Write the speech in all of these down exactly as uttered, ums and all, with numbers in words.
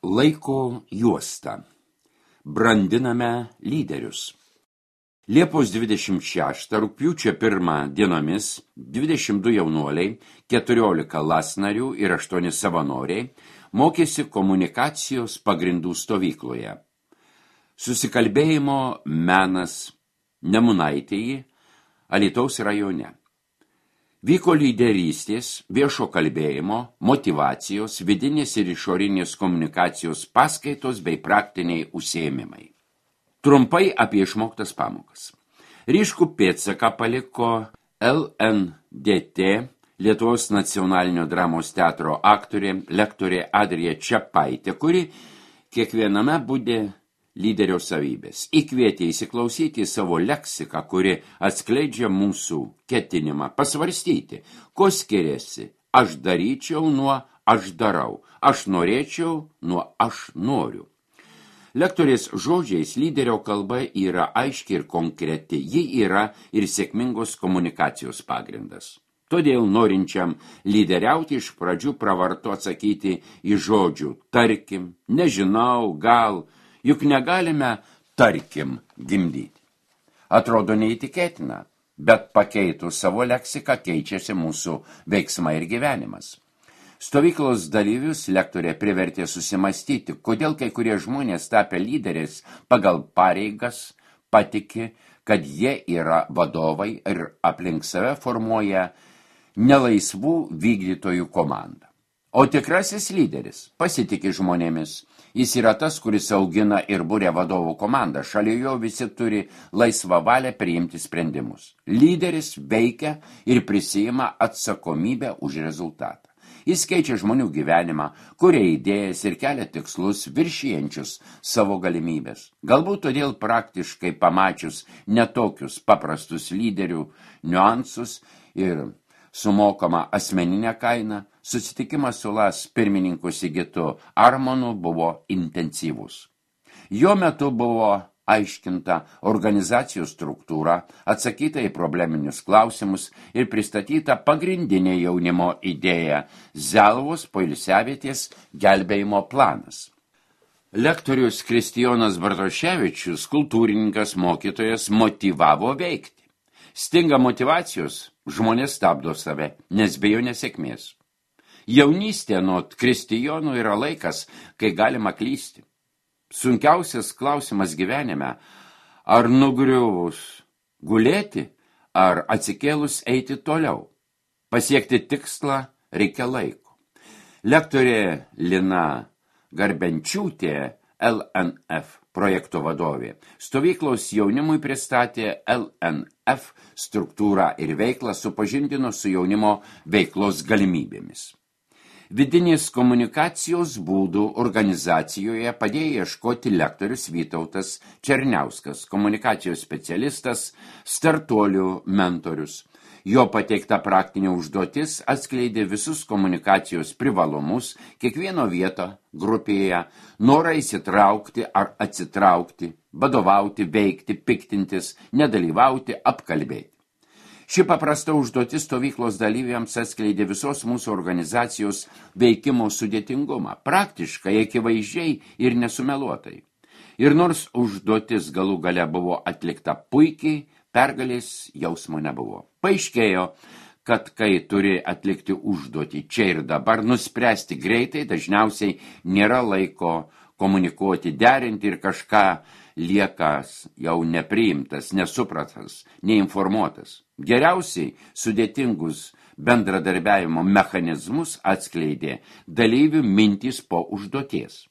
Laiko juosta. Brandiname lyderius. Liepos dvidešimt šeštą rugpjūčio pirmą dienomis dvidešimt du jaunuoliai, keturiolika lasnarių ir aštuoni savanoriai mokėsi komunikacijos pagrindų stovykloje. Susikalbėjimo menas Nemunaitėje, Alytaus rajone. Vyko lyderystės, viešo kalbėjimo, motyvacijos, vidinės ir išorinės komunikacijos paskaitos bei praktiniai užsiėmimai. Trumpai apie išmoktas pamokas. Ryškų pėdsaką paliko L N D T, Lietuvos nacionalinio dramos teatro aktorė, lektorė Adrija Čepaitė, kuri kiekviename būdė lyderio savybės. Įkvietė įsiklausyti į savo leksiką, kuri atskleidžia mūsų ketinimą pasvarstyti, ko skiriasi aš daryčiau nuo aš darau, aš norėčiau nuo aš noriu. Lektorės žodžiais lyderio kalba yra aiški ir konkreti, ji yra ir sėkmingos komunikacijos pagrindas. Todėl norinčiam lyderiauti iš pradžių pravartu atsakyti į žodžių tarkim, nežinau, gal, juk negalime tarkim gimdyti. Atrodo neįtikėtina, bet pakeitus savo leksiką keičiasi mūsų veiksmai ir gyvenimas. Stovyklos dalyvius lektorė privertė susimastyti, kodėl kai kurie žmonės tapę lyderės pagal pareigas patiki, kad jie yra vadovai ir aplink save formuoja nelaisvų vykdytojų komandą. O tikrasis lyderis pasitiki žmonėmis. Jis yra tas, kuris augina ir būrė vadovų komandą. Šalia jo visi turi laisvą valią priimti sprendimus. Lyderis veikia ir prisijima atsakomybę už rezultatą. Jis keičia žmonių gyvenimą, kuria idėjas ir kelia tikslus viršijančius savo galimybės. Galbūt todėl praktiškai pamačius netokius paprastus lyderių niuansus ir sumokama asmeninė kaina, susitikimas su Las pirmininku Sigitu Armonu buvo intensyvus. Jo metu buvo aiškinta organizacijos struktūra, atsakyta į probleminius klausimus ir pristatyta pagrindinė jaunimo idėja Zelvos poilsiavietės gelbėjimo planas. Lektorius Kristijonas Bartoševičius, kultūrininkas, mokytojas, motyvavo veikti. Stinga motyvacijos, žmonės stabdo save, nes bijo nesėkmės. Jaunystė nuo Kristijonų yra laikas, kai galima klysti. Sunkiausias klausimas gyvenime, ar nugriuvus gulėti, ar atsikėlus eiti toliau. Pasiekti tikslą reikia laiko. Lektorė Lina Garbenčiūtė, L N F projekto vadovė, stovyklos jaunimui pristatė L N F struktūrą ir veiklą, supažindino su jaunimo veiklos galimybėmis. Vidinės komunikacijos būdų organizacijoje padėjo ieškoti lektorius Vytautas Černiauskas, komunikacijos specialistas, startuolių mentorius. Jo pateikta praktinė užduotis atskleidė visus komunikacijos privalumus, kiekvieno vietą grupėje, norą įsitraukti ar atsitraukti, vadovauti, veikti, piktintis, nedalyvauti, apkalbėti. Ši paprasta užduotis stovyklos dalyviams atskleidė visos mūsų organizacijos veikimo sudėtingumą, praktiškai, akivaizdžiai ir nesumeluotai. Ir nors užduotis galų gale buvo atlikta puikiai, pergalės jausmo nebuvo. Paaiškėjo, kad kai turi atlikti užduotį čia ir dabar, nuspręsti greitai, dažniausiai nėra laiko komunikuoti, derinti ir kažką liekas jau nepriimtas, nesupratas, neinformuotas. Geriausiai sudėtingus bendradarbiavimo mechanizmus atskleidė dalyvių mintys po užduoties.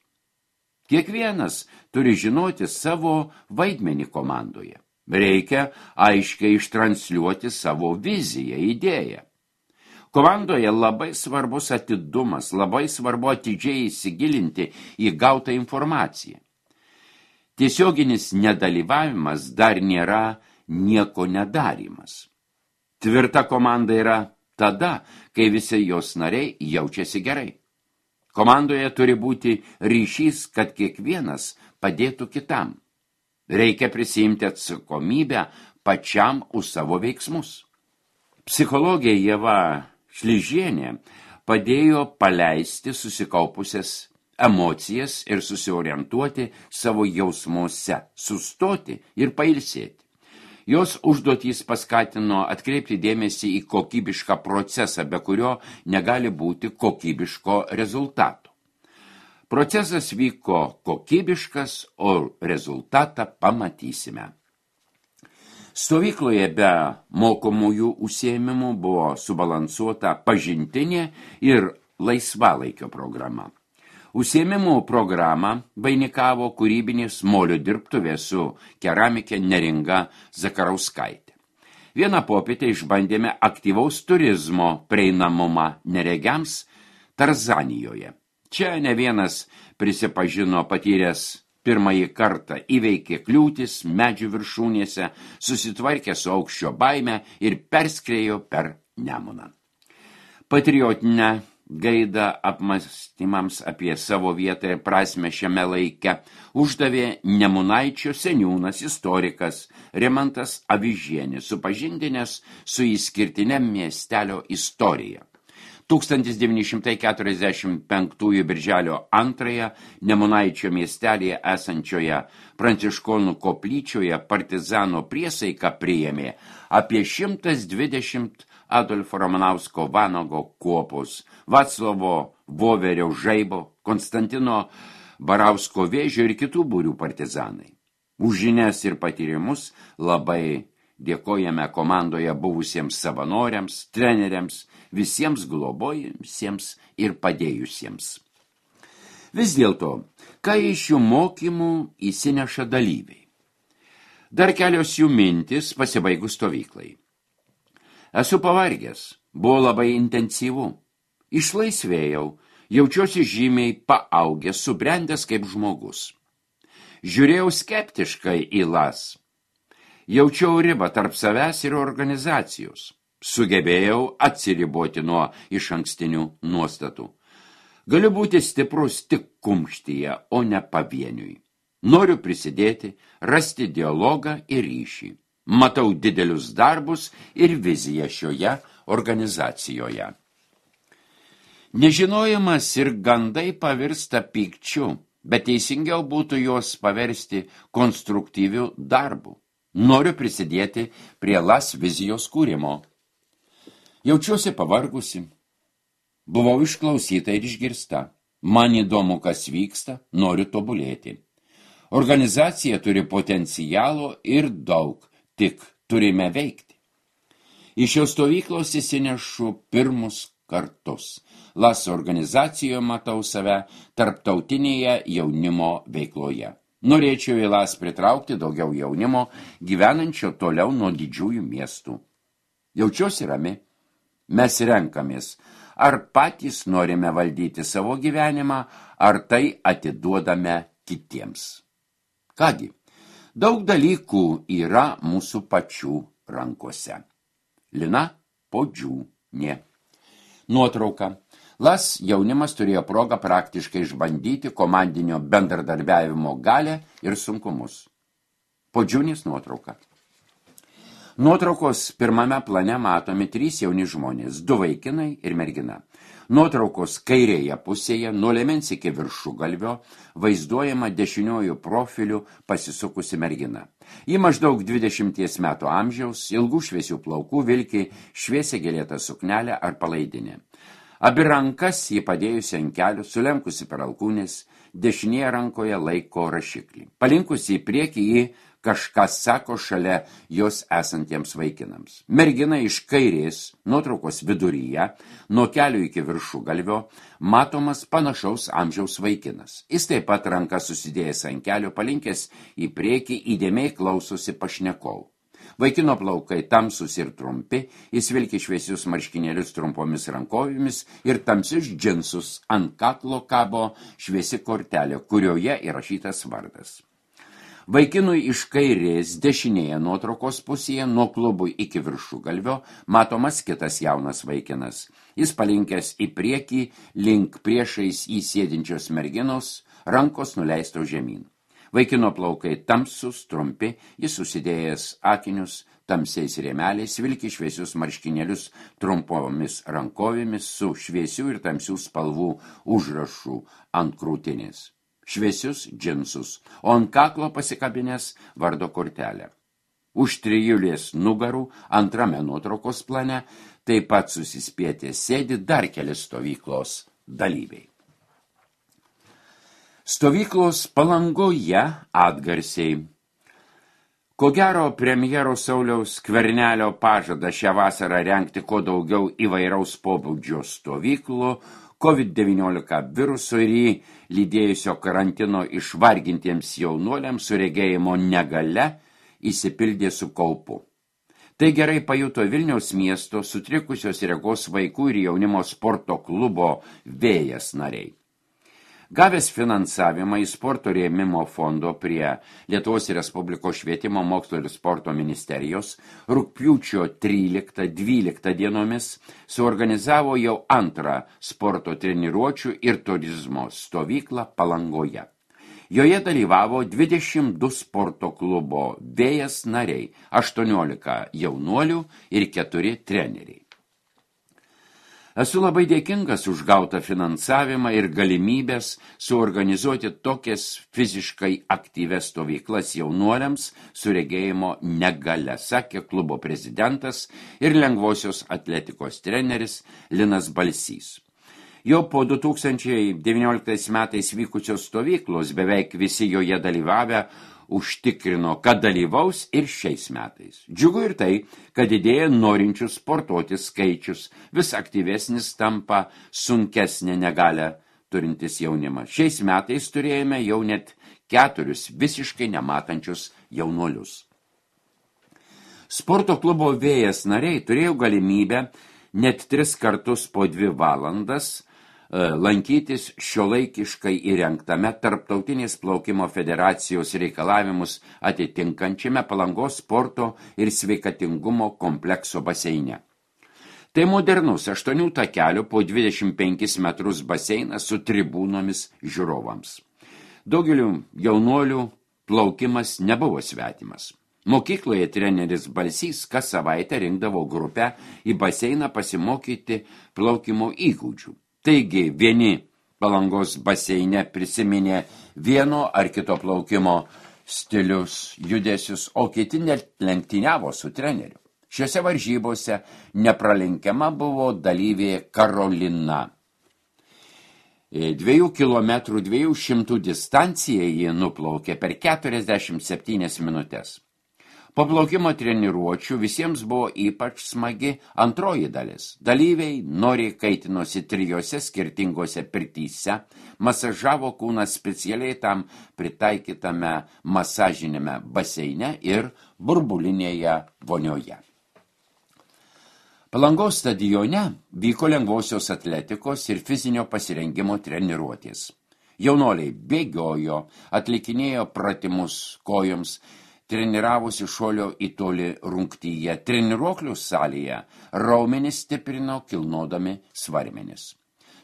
Kiekvienas turi žinoti savo vaidmenį komandoje. Reikia aiškiai ištransliuoti savo viziją, idėją. Komandoje labai svarbus atidumas, labai svarbu atidžiai įsigilinti į gautą informaciją. Tiesioginis nedalyvavimas dar nėra nieko nedarimas. Tvirta komanda yra tada, kai visi jos nariai jaučiasi gerai. Komandoje turi būti ryšys, kad kiekvienas padėtų kitam. Reikia prisiimti atsakomybę pačiam už savo veiksmus. Psichologė Ieva Šližienė padėjo paleisti susikaupusias emocijas ir susiorientuoti savo jausmuose, sustoti ir pailsėti. Jos užduotys paskatino atkreipti dėmesį į kokybišką procesą, be kurio negali būti kokybiško rezultato. Procesas vyko kokybiškas, o rezultatą pamatysime. Stovykloje be mokomųjų užsiėmimų buvo subalansuota pažintinė ir laisvalaikio programa. Užsiėmimų programą vainikavo kūrybinės molio dirbtuvė su keramikė Neringa Zakarauskaitė. Vieną popietę išbandėme aktyvaus turizmo prieinamumą neregiams Tarzanijoje. Čia ne vienas prisipažino patyręs pirmąjį kartą, įveikė kliūtis medžių viršūnėse, susitvarkė su aukščio baime ir perskriejo per Nemuną. Patriotinę gaidą apmąstymams apie savo vietą ir prasmę šiame laike uždavė Nemunaičio seniūnas istorikas Rimantas Avižienis, supažindinęs su išskirtine miestelio istorija. tūkstantis devyni šimtai keturiasdešimt penktųjų birželio antrąją Nemunaičio miestelėje esančioje Pranciškonų koplyčioje partizano priesaiką priėmė apie šimtas dvidešimt Adolfo Ramanausko Vanago kuopos, Vaclovo Voverio Žaibo, Konstantino Barausko Vėžio ir kitų būrių partizanai. Už žinias ir patyrimus labai dėkojame komandoje buvusiems savanoriams, treneriams, visiems globojusiems ir padėjusiems. Vis dėlto, ką iš šių mokymų įsineša dalyviai? Dar kelios jų mintis pasibaigus stovyklai. Esu pavargęs, buvo labai intensyvu. Išlaisvėjau, jaučiuosi žymiai paaugęs, subrendęs kaip žmogus. Žiūrėjau skeptiškai į las. Jaučiau ribą tarp savęs ir organizacijos. Sugebėjau atsiriboti nuo išankstinių nuostatų. Galiu būti stiprus tik kumštyje, o ne pavieniui. Noriu prisidėti, rasti dialogą ir ryšį. Matau didelius darbus ir viziją šioje organizacijoje. Nežinojimas ir gandai pavirsta pykčiu, bet teisingiau būtų juos paversti konstruktyviu darbu. Noriu prisidėti prie las vizijos kūrimo. Jaučiuosi pavargusi. Buvau išklausyta ir išgirsta. Man įdomu, kas vyksta, noriu tobulėti. Organizacija turi potencialo ir daug, tik turime veikti. Iš šios stovyklos įsinešu pirmus kartus. Las organizacijoje matau save tarptautinėje jaunimo veikloje. Norėčiau į las pritraukti daugiau jaunimo, gyvenančio toliau nuo didžiųjų miestų. Jaučiuosi rami. Mes renkamės, ar patys norime valdyti savo gyvenimą, ar tai atiduodame kitiems. Kągi, daug dalykų yra mūsų pačių rankose. Lina Podžiūnė. Nuotrauka. Las jaunimas turėjo progą praktiškai išbandyti komandinio bendradarbiavimo galią ir sunkumus. Podžiūnės nuotrauka. Nuotraukos pirmame plane matomi trys jauni žmonės, du vaikinai ir mergina. Nuotraukos kairėje pusėje, nuo liemens iki viršugalvio, vaizduojama dešiniuoju profiliu pasisukusi mergina. Ji maždaug dvidešimties metų amžiaus, ilgų šviesių plaukų, vilki šviesia gėlėta suknelė ar palaidinė. Abi rankas ji padėjusi ant kelių, sulenkusi per alkūnės, dešinėje rankoje laiko rašiklį. Palinkusi į priekį ji kažkas sako šalia jos esantiems vaikinams. Mergina iš kairės, nuotraukos viduryje, nuo kelių iki viršugalvio, matomas panašaus amžiaus vaikinas. Jis taip pat ranką susidėjęs ant kelių, palinkęs į priekį, įdėmiai klausosi pašnekovų. Vaikino plaukai tamsus ir trumpi, jis vilki šviesius marškinėlius trumpomis rankovėmis ir tamsius džinsus, ant kaklo kabo šviesi kortelė, kurioje įrašytas vardas. Vaikinui iš kairės dešinėje nuotraukos pusėje, nuo klubų iki viršugalvio, matomas kitas jaunas vaikinas. Jis palinkęs į priekį, link priešais įsėdinčios merginos, rankos nuleisto žemyn. Vaikino plaukai tamsus, trumpi, jis susidėjęs akinius tamsiais rėmeliais, vilki šviesius marškinėlius trumpomis rankovėmis su šviesių ir tamsių spalvų užrašų ant krūtinės. Šviesius džinsus, o ant kaklo pasikabinės vardo kortelę. Už trijulės nugarų antrame nuotraukos plane taip pat susispietė sėdi dar keli stovyklos dalyviai. Stovyklos Palangoje atgarsiai. Ko gero, premjero Sauliaus Skvernelio pažada šią vasarą rengti kuo daugiau įvairaus pobūdžio stovyklų, COVID devyniolika viruso ir jį lydėjusio karantino išvargintiems jaunuoliams su regėjimo negale įsipildė su kaupu. Tai gerai pajuto Vilniaus miesto sutrikusios regos vaikų ir jaunimo sporto klubo Vėjas nariai. Gavęs finansavimą į sporto rėmimo fondo prie Lietuvos Respublikos švietimo, mokslo ir sporto ministerijos, rugpjūčio tryliktą dvyliktą dienomis suorganizavo jau antrą sporto treniruočių ir turizmo stovyklą Palangoje. Joje dalyvavo dvidešimt du sporto klubo Vėjas nariai, aštuoniolika jaunuolių ir keturi treneriai. Esu labai dėkingas už gautą finansavimą ir galimybės suorganizuoti tokias fiziškai aktyvias stovyklas jaunuoliams su regėjimo negale, sakė klubo prezidentas ir lengvosios atletikos treneris Linas Balsys. Jau po du tūkstančiai devynioliktais metais vykusios stovyklos beveik visi joje dalyvavę užtikrino, kad dalyvaus ir šiais metais. Džiugu ir tai, kad didėja norinčių sportuoti skaičius, vis aktyvesnis tampa sunkesnė negalę turintis jaunimas. Šiais metais turėjome jau net keturius visiškai nematančius jaunuolius. Sporto klubo Vėjas nariai turėjo galimybę net tris kartus po dvi valandas lankytis šiuolaikiškai įrengtame Tarptautinės plaukimo federacijos reikalavimus atitinkančiame Palangos sporto ir sveikatingumo komplekso baseine. Tai modernus aštuonių takelių po dvidešimt penkis metrus baseinas su tribūnomis žiūrovams. Daugeliu jaunuolių plaukimas nebuvo svetimas. Mokykloje treneris Balsys kas savaitę rinkdavo grupę į baseiną pasimokyti plaukimo įgūdžių. Taigi vieni Palangos baseine prisiminė vieno ar kito plaukimo stilius, judesius, o kiti net lenktyniavo su treneriu. Šiose varžybose nepralenkiama buvo dalyvė Karolina. Dviejų kilometrų dviejų šimtų distanciją ji nuplaukė per keturiasdešimt septynias minutės. Po plaukimo treniruočių visiems buvo ypač smagi antroji dalis. Dalyviai noriai kaitinosi trijose skirtingose pirtyse, masažavo kūną specialiai tam pritaikytame masažinėme baseine ir burbulinėje vonioje. Palangos stadione vyko lengvosios atletikos ir fizinio pasirengimo treniruotės. Jaunoliai bėgiojo, atlikinėjo pratimus kojoms, treniravosi šuolio į tolį rungtyje, treniruoklių salėje raumenis stiprino kilnodami svarmenis.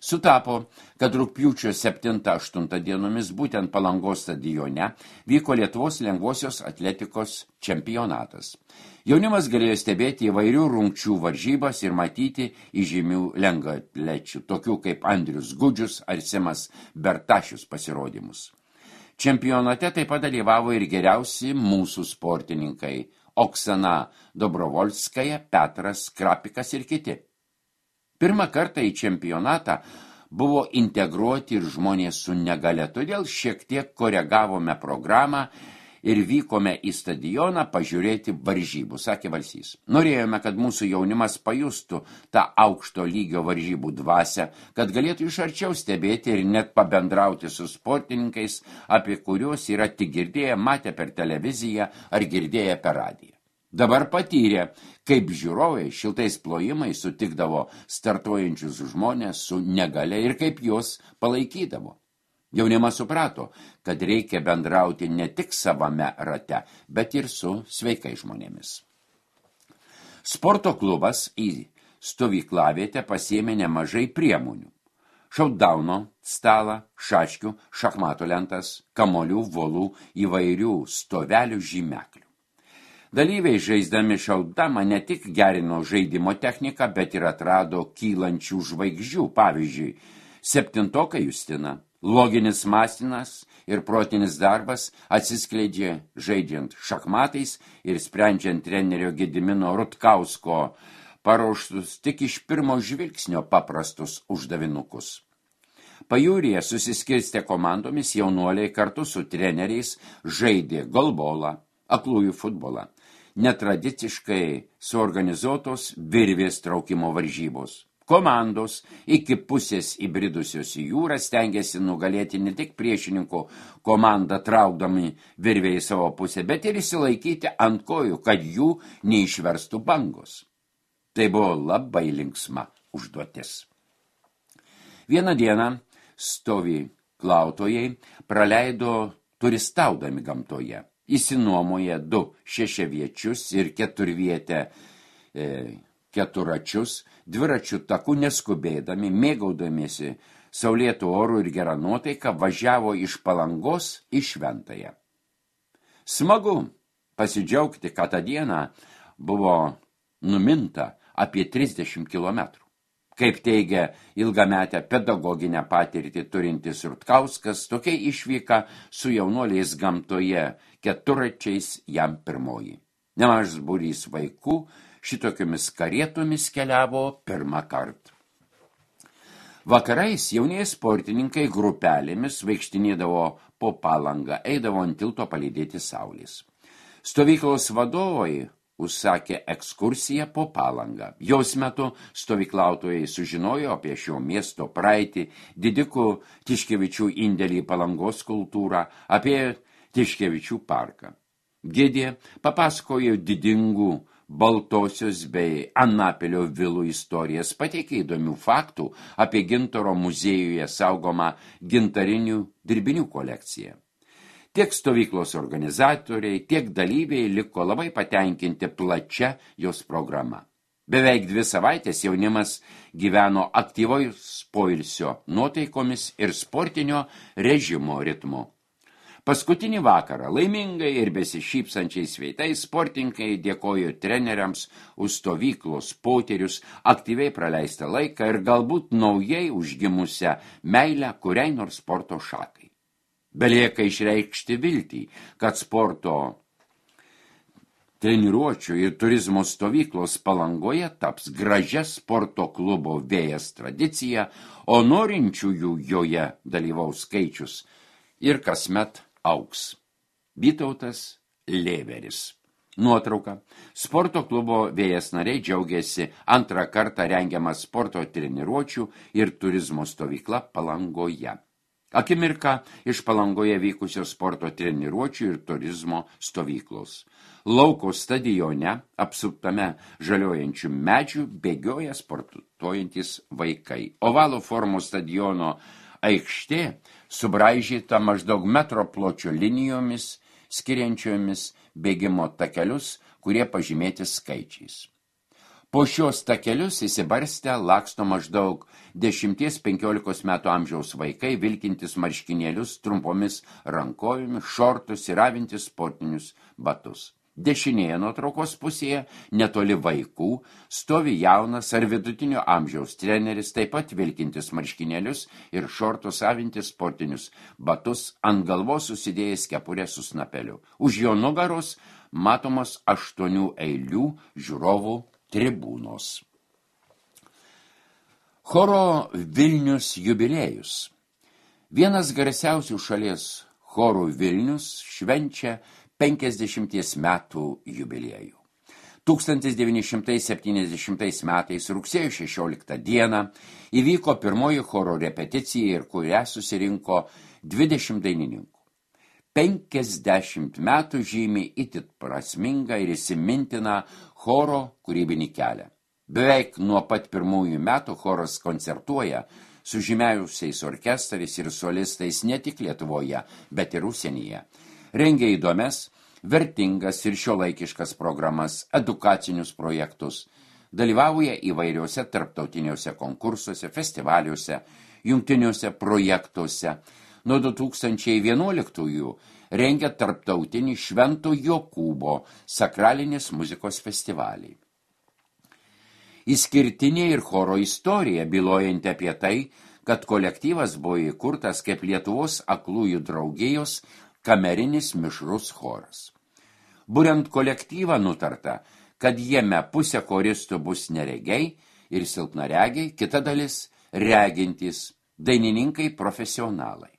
Sutapo, kad rugpjūčio septintą aštuntą dienomis būtent Palangos stadione vyko Lietuvos lengvosios atletikos čempionatas. Jaunimas galėjo stebėti įvairių rungčių varžybas ir matyti įžymių lengvaatlečių, tokių kaip Andrius Gudžius ar Simas Bertašius pasirodymus. Čempionate taip pat dalyvavo ir geriausi mūsų sportininkai Oksana Dobrovolskaja, Petras Krapikas ir kiti. Pirmą kartą į čempionatą buvo integruoti ir žmonės su negale, todėl šiek tiek koregavome programą ir vykome į stadioną pažiūrėti varžybų, sakė Balsys. Norėjome, kad mūsų jaunimas pajustų tą aukšto lygio varžybų dvasią, kad galėtų iš arčiau stebėti ir net pabendrauti su sportininkais, apie kuriuos yra tik girdėję, matę per televiziją ar girdėję per radiją. Dabar patyrė, kaip žiūrovai šiltais plojimais sutikdavo startuojančius žmonės su negale ir kaip juos palaikydavo. Jaunimas suprato, kad reikia bendrauti ne tik savame rate, bet ir su sveikai žmonėmis. Sporto klubas į stovyklavietę pasiėmė nemažai priemonių. šautdauno stalą, šaškių, šachmato lentas, kamolių, volų, įvairių stovelių žymeklių. Dalyviai žaisdami šautdamą ne tik gerino žaidimo techniką, bet ir atrado kylančių žvaigždžių, pavyzdžiui, septintoka Justina. Loginis mąstymas ir protinis darbas atsiskleidžia žaidžiant šachmatais ir sprendžiant trenerio Gedimino Rutkausko paruoštus tik iš pirmo žvilgsnio paprastus uždavinukus. Pajūryje susiskirstę komandomis jaunuoliai kartu su treneriais žaidė golbolą, aklųjų futbolą, netradiciškai suorganizuotos virvės traukimo varžybos. Komandos iki pusės įbridusios į jūrą stengiasi nugalėti ne tik priešininkų komandą traukdami virvę į savo pusę, bet ir išsilaikyti ant kojų, kad jų neišverstų bangos. Tai buvo labai linksma užduotis. Vieną dieną stovyklautojai praleido turistaudami gamtoje. Įsinuomoja du šešiaviečius ir keturvietę e, keturačius, dviračių takų neskubėdami, mėgaudamiesi saulėtų orų ir gerą nuotaiką, važiavo iš Palangos į Šventąją. Smagu pasidžiaugti, kad tą dieną buvo numinta apie trisdešimt kilometrų. Kaip teigia ilgametę pedagoginę patirtį turintis Rutkauskas, tokia išvyka su jaunuoliais gamtoje keturačiais jam pirmoji. Nemažas būrys vaikų šitokiomis karietomis keliavo pirmą kartą. Vakarais jaunieji sportininkai grupelėmis vaikštinėdavo po Palangą, eidavo ant tilto palydėti saulės. Stovyklos vadovai užsakė ekskursiją po Palangą. Jos metu stovyklautojai sužinojo apie šio miesto praeitį, didikų Tiškevičių indėlį į Palangos kultūrą, apie Tiškevičių parką. Gidė papasakojo didingų Baltosios bei Anapilio vilų istorijas, pateikė įdomių faktų apie Gintaro muziejuje saugomą gintarinių dirbinių kolekciją. Tiek stovyklos organizatoriai, tiek dalyviai liko labai patenkinti plačia jos programa. Beveik dvi savaitės jaunimas gyveno aktyvaus poilsio nuotaikomis ir sportinio režimo ritmu. Paskutinį vakarą laimingai ir besišypsančiais veidais sportininkai dėkojo treneriams už stovyklos potyrius, aktyviai praleistą laiką ir galbūt naujai užgimusią meilę kuriai nors sporto šakai. Belieka išreikšti viltį, kad sporto treniruočių ir turizmo stovyklos Palangoje taps gražia sporto klubo Vėjas tradicija, o norinčiųjų joje dalyvaus skaičius ir kasmet augs. Vytautas Lėveris. Nuotrauka. Sporto klubo Vėjas nariai džiaugiasi antrą kartą rengiamą sporto treniruočių ir turizmo stovykla Palangoje. Akimirka iš Palangoje vykusios sporto treniruočių ir turizmo stovyklos. Lauko stadione, apsuptame žaliojančių medžių, bėgioja sportuojantis vaikai. Ovalo formos stadiono aikštė subraižyta maždaug metro pločio linijomis, skiriančiomis bėgimo takelius, kurie pažymėti skaičiais. Po šios takelius įsibarstę laksto maždaug dešimties penkiolikos metų amžiaus vaikai, vilkintis marškinėlius trumpomis rankovėmis, šortus ir avintis sportinius batus. Dešinėje nuotraukos pusėje, netoli vaikų, stovi jaunas ar vidutinio amžiaus treneris, taip pat vilkintis marškinėlius ir šortus avintis sportinius batus, ant galvos susidėjęs kepurę su snapeliu. Už jo nugaros matomos aštuonių eilių žiūrovų tribūnos. Choro Vilnius jubiliejus. Vienas garsiausių šalies chorų Vilnius švenčia penkiasdešimties metų jubiliejų. tūkstantis devyni šimtai septyniasdešimtais metais rugsėjo šešioliktą dieną įvyko pirmoji choro repeticija ir kurią susirinko dvidešimt dainininkų. penkiasdešimt metų žymi itin prasmingą ir įsimintiną choro kūrybinį kelią. Beveik nuo pat pirmųjų metų choras koncertuoja su žymiausiais orkestrais ir solistais ne tik Lietuvoje, bet ir užsienyje. Rengia įdomias, vertingas ir šiuolaikiškas programas, edukacinius projektus, dalyvauja įvairiuose tarptautiniuose konkursuose, festivaliuose. jungtiniuose projektuose. Nuo du tūkstančiai vienuoliktųjų rengia tarptautinį Švento Jokūbo sakralinės muzikos festivalį. Išskirtinė ir choro istorija, bylojanti apie tai, kad kolektyvas buvo įkurtas kaip Lietuvos aklųjų draugijos kamerinis mišrus choras. Buriant kolektyvą nutarta, kad jame pusė choristų bus neregiai ir silpnaregiai, kita dalis regintys, dainininkai profesionalai.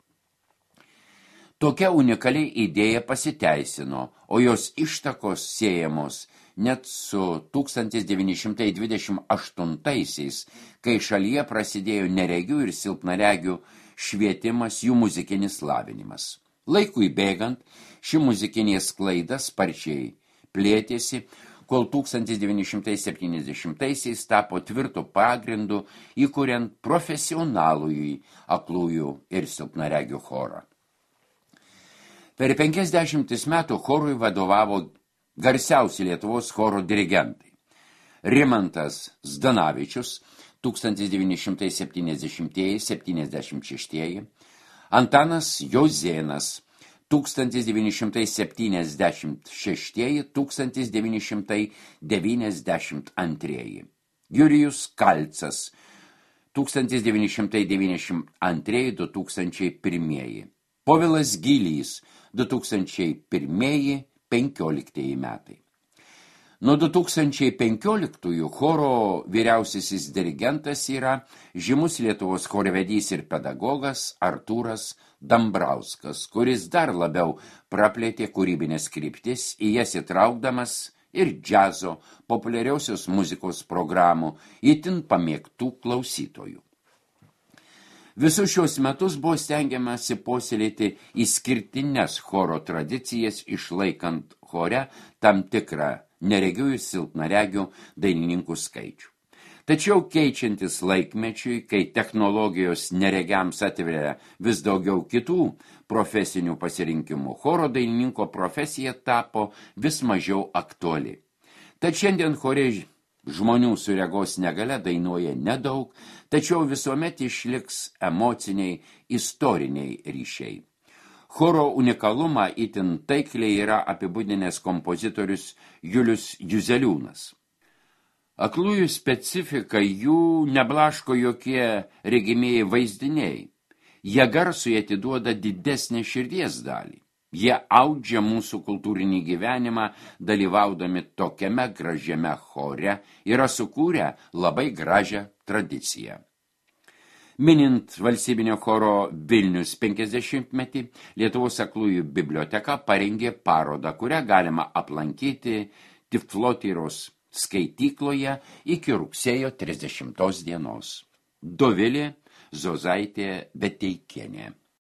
Tokia unikali idėja pasiteisino, o jos ištakos siejamos net su tūkstantis devyni šimtai dvidešimt aštuntaisiais, kai šalyje prasidėjo neregių ir silpnaregių švietimas, jų muzikinis lavinimas. Laikui bėgant, ši muzikinė sklaida sparčiai plėtėsi, kol tūkstantis devyni šimtai septyniasdešimtaisiais tapo tvirtu pagrindu, įkuriant profesionalųjį aklųjų ir silpnaregių chorą. Per penkiasdešimtis metų chorui vadovavo garsiausi Lietuvos choro dirigentai. Rimantas Zdanavičius tūkstantis devyni šimtai septyniasdešimtieji septyniasdešimt šeštieji, Antanas Jozėnas tūkstantis devyni šimtai septyniasdešimt šeštieji tūkstantis devyni šimtai devyniasdešimt antrieji, Jurijus Kalcas tūkstantis devyni šimtai devyniasdešimt antrieji du tūkstančiai pirmieji, Povilas Gylys du tūkstančiai pirmieji penkioliktieji metai. Nuo du tūkstančiai penkioliktųjų choro vyriausiasis dirigentas yra žymus Lietuvos chorvedys ir pedagogas Artūras Dambrauskas, kuris dar labiau praplėtė kūrybinės kryptis, į jas įtraukdamas ir džiazo, populiariausios muzikos programų, itin pamėgtų klausytojų. Visus šios metus buvo stengiamasi puoselėti išskirtines choro tradicijas, išlaikant chore tam tikrą neregių ir silpnaregių dainininkų skaičių. Tačiau keičiantis laikmečiui, kai technologijos neregiams atveria vis daugiau kitų profesinių pasirinkimų, choro dainininko profesija tapo vis mažiau aktuali. Tad šiandien chore žmonių su regos negalia dainuoja nedaug, tačiau visuomet išliks emociniai, istoriniai ryšiai. Choro unikalumą itin taikliai yra apibūdinęs kompozitorius Julius Juzeliūnas. Aklųjų specifika jų neblaško jokie regimieji vaizdiniai. Jie garsui atiduoda didesnę širdies dalį. Jie audžia mūsų kultūrinį gyvenimą, dalyvaudami tokiame gražiame chore, yra sukūrę labai gražią tradiciją. Minint valstybinio choro Vilnius penkiasdešimtmetį, Lietuvos aklųjų biblioteka parengė parodą, kurią galima aplankyti Tiflotyros skaitykloje iki rugsėjo trisdešimtos dienos. Dovilė Zozaitė Beteikienė.